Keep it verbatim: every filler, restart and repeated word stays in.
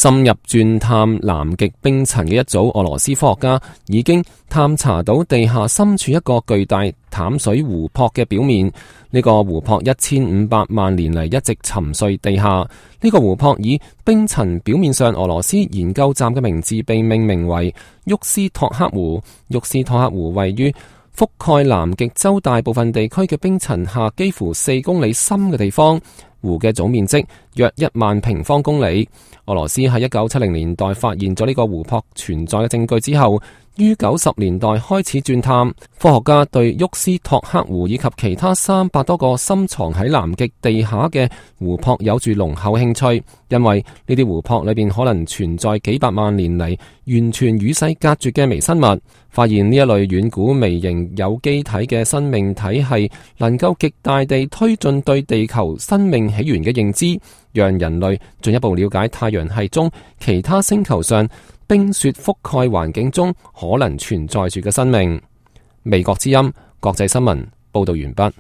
深入鑽探南極冰層嘅一組俄羅斯科學家已經探查到地下深處一個巨大淡水湖泊嘅表面。呢個湖泊一千五百萬年嚟一直沉睡地下。呢個湖泊以冰層表面上俄羅斯研究站嘅名字被命名為沃斯托克湖。沃斯托克湖位於覆蓋南極洲大部分地區嘅冰層下幾乎四公里深嘅地方。湖嘅總面積約一萬平方公里。俄羅斯喺一九七零年代發現咗呢個湖泊存在嘅證據之後，於九十年代開始鑽探。科學家對沃斯托克湖以及其他三百多個深藏喺南極地下嘅湖泊有住濃厚興趣，因為呢啲湖泊裏邊可能存在幾百萬年嚟完全與世隔絕嘅微生物。發現呢一類遠古微型有機體嘅生命體系，能夠極大地推進對地球生命起源嘅認知，讓人類進一步了解太陽系中其他星球上冰雪覆蓋環境中可能存在住嘅生命。美國之音國際新聞報道完畢。